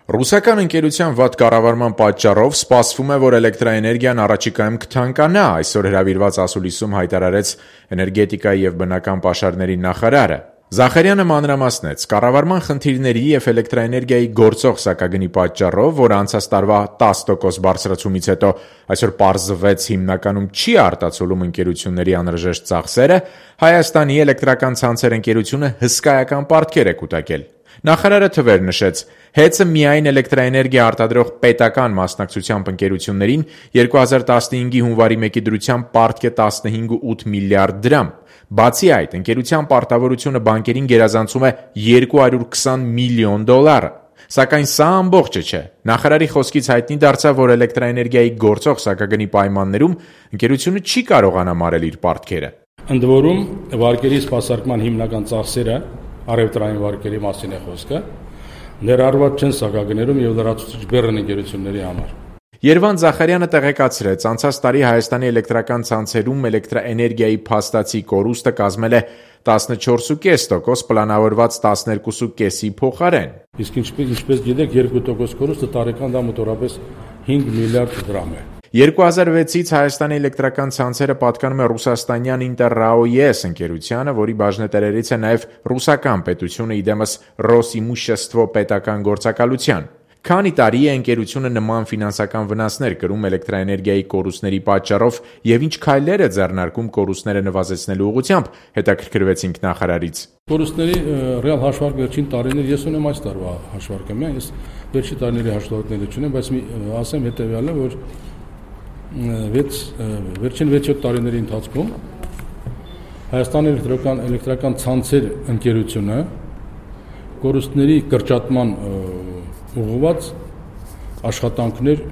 Ռուսական ընկերության վատ կառավարման պատճառով սպասվում է, որ էլեկտրաէներգիան առաջիկայում կթանկանա, այսօր հրավիրված ասուլիսում հայտարարեց էներգետիկայի և բնական պաշարների նախարարը։ Զախարյանը մանրամասնեց, կառավարման խնդիրների և էլեկտրաէներգիայի գործող սակագնի պատճառով, որ անցած տարվա 10% բարձրացումից հետո այսօր պարզվեց հիմնականում չի արտացոլում ընկերությունների անհրաժեշտ ծախսերը, Հայաստանի էլեկտրական ցանցեր ընկերությունը հսկայական պարտքեր է կուտակել։ Նախարարը թվեր նշեց, հեծը միայն էլեկտրաէներգիա արտադրող պետական մասնակցությամբ ընկերություններին 2015-ի հունվարի 1-ի դրությամբ պարտք է 15.8 միլիարդ դրամ։ Բացի այդ, ընկերության պարտավորությունը բանկերին գերազանցում է 220 միլիոն դոլար։ Սակայն սա ամբողջը չէ։ Նախարարի խոսքից հայտնի դարձավ, որ էլեկտրաէներգիայի գործող սակագնի պայմաններում ընկերությունը չի կարողանա մարել իր պարտքերը։ Ընդ որում, վարկերի սպասարկման հիմնական ծախսերը առևտրային վարկերի մասին է խոսքը, ներառված չեն սակագներում և լրացուցիչ բեռն ընկերությունների համար։ Երվանդ Զախարյանը տեղեկացրեց, անցած տարի Հայաստանի էլեկտրական ցանցերում էլեկտրաէներգիայի փաստացի կորուստը կազմել է 14.5%, պլանավորված 12.5-ի փոխարեն։ Իսկ ինչպես գիտեք, 2% կորուստը տարեկան դա մոտավորապես 5 միլիարդ դրամ է։ 2006-ից Հայաստանի էլեկտրական ցանցերը պատկանում է ռուսաստանյան «Ինտերրաո-ԵՍ» ընկերությանը, որի բաժնետերերից է նաև ռուսական պետությունը, իդեմս «Ռոսիմուշեստվո» պետական գործակալության։ Քանի տարի է ընկերությունը նման ֆինանսական վնասներ կրում էլեկտրաէներգիայի կորուստների պատճառով և ինչ քայլեր է ձեռնարկում կորուստները նվազեցնելու ուղղությամբ, հետաքրքրվեցինք նախարարից։ Կորուստների ռեալ հաշվարկ վերջին տարիներ, ես ունեմ այս տարվա հաշվարկը, ես վերջին տարիների հաշվարկները չունեմ, բայց ասեմ հետևյալը, որ վերջին 6-7 տարիների ընթացքում Հայաստանի էլեկտրական ցանցեր ընկերությունը կորուստների կրճատման ուղղված աշխատանքներ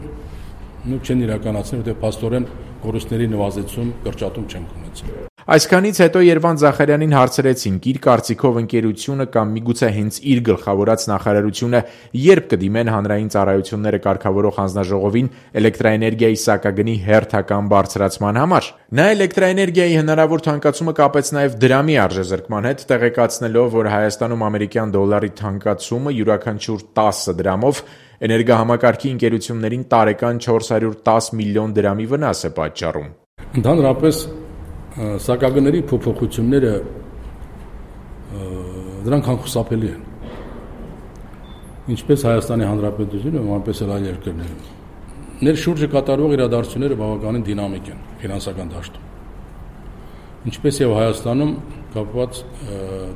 չեն իրականացնել, որտեղ փաստորեն կորուստների նվազեցում, կրճատում չեն ունեցել։ Այսքանից հետո Երվանդ Զախարյանին հարցրեցինք, իր կարծիքով ընկերությունը կամ միգուցե հենց իր գլխավորած նախարարությունը երբ կդիմեն հանրային ծառայությունները կարգավորող հանձնաժողովին էլեկտրաէներգիայի սակագնի հերթական բարձրացման համար։ Նա էլեկտրաէներգիայի հնարավոր թանկացումը կապեց նաև դրամի արժեզրկման հետ, տեղեկացնելով, որ Հայաստանում ամերիկյան դոլարի թանկացումը յուրաքանչյուր 10 դրամով էներգահամակարգի ընկերություններին տարեկան 410 միլիոն դրամի վնաս է պատճառում։ Ընդհանրապես սակագների փոփոխությունները դրանք անխուսափելի են։ Ինչպես Հայաստանի Հանրապետությունում, այնպես էլ այլ երկրներում։ Ներշուրջը կատարվող իրադարձությունները բավականին դինամիկ են ֆինանսական դաշտում։ Ինչպես եւ Հայաստանում կապված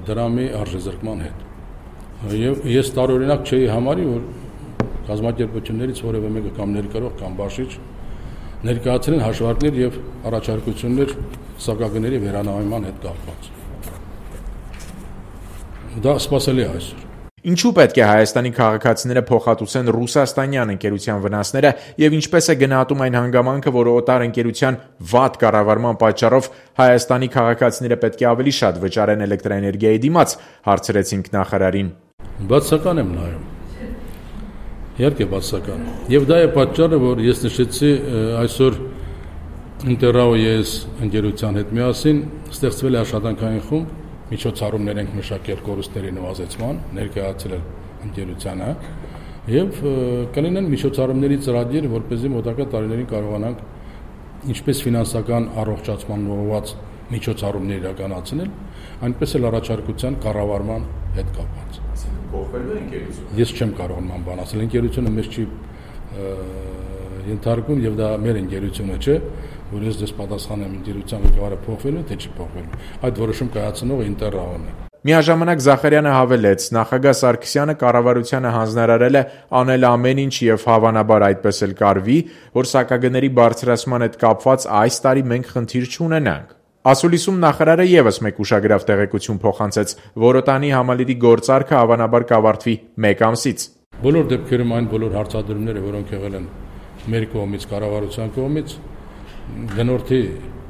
դրամի արժեզրկման հետ։ Եվ ես տարօրինակ չէի համարի, որ կազմակերպություններից որևէ մեկը կամ ներկրող կամ բաշխիչ ներկայացրեն հաշվարկներ եւ առաջարկություններ սակագների վերանայման հետ կապված։ Դա սպասելի է այսօր։ Ինչու պետք է Հայաստանի քաղաքացիները փոխհատուցեն ռուսաստանյան ընկերության վնասները եւ ինչպես է գնահատում այն հանգամանքը, որ օտար ընկերության վատ կառավարման պատճառով Հայաստանի քաղաքացիները պետք է ավելի շատ վճարեն էլեկտրաէներգիայի դիմաց, հարցրեցինք նախարարին։ Բացական եմ նայում։ Իհարկե բացական։ Եվ դա է պատճառը, որ ես նշեցի այսօր Ինտերրաո-ԵՍ ընկերության հետ միասին ստեղծվել է աշխատանքային խումբ, միջոցառումներ ենք մշակել կորուստների նվազեցման, ներկայացրել ընկերությանը եւ կլինեն միջոցառումների ծրագիր, որպեսզի մոտակա տարիներին կարողանանք ինչպես ֆինանսական առողջացման ուղղված միջոցառումներ իրականացնել, այնպես էլ առաջարկության կառավարման հետ կապված։ Փոխվելու է ընկերությունը։ Ես չեմ կարող նման բան ասել, ընկերությունը մեզ չի ենթարկում եւ դա մեր ընկերությունը չէ, որ ես դες պատասխանեմ ընկերության ղեկավարը փոխվելու թե չի փոխվելու։ Այդ որոշում կայացնողը Ինտերրաոն է։ Միաժամանակ Զախարյանը հավելեց, նախագահ Սարգսյանը կառավարությանը հանձնարարել է անել ամեն ինչ եւ հավանաբար այդպես էլ կարվի, որ սակագների բարձրացման հետ կապված այս տարի մենք խնդիր չունենանք։ Ասուլիսում նախարարը եւս մեկ ուշագրավ տեղեկություն փոխանցեց, որ օտանի համալիրի գործարքը հավանաբար կավարտվի 1 ամսից։ Բոլոր դեպքերում այն բոլոր հարցադրումները, որոնք եղել են մեր կողմից, կառավարության կողմից, գնորդի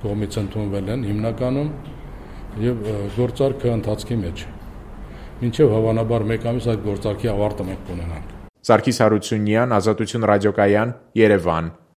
կողմից ընդունվել են հիմնականում եւ գործարքը ընթացքի մեջ։ Մինչեւ հավանաբար 1 ամիս այդ գործարքի ավարտը մենք կունենանք։ Սարգիս Հարությունյան, Ազատություն ռադիոկայան, Երևան։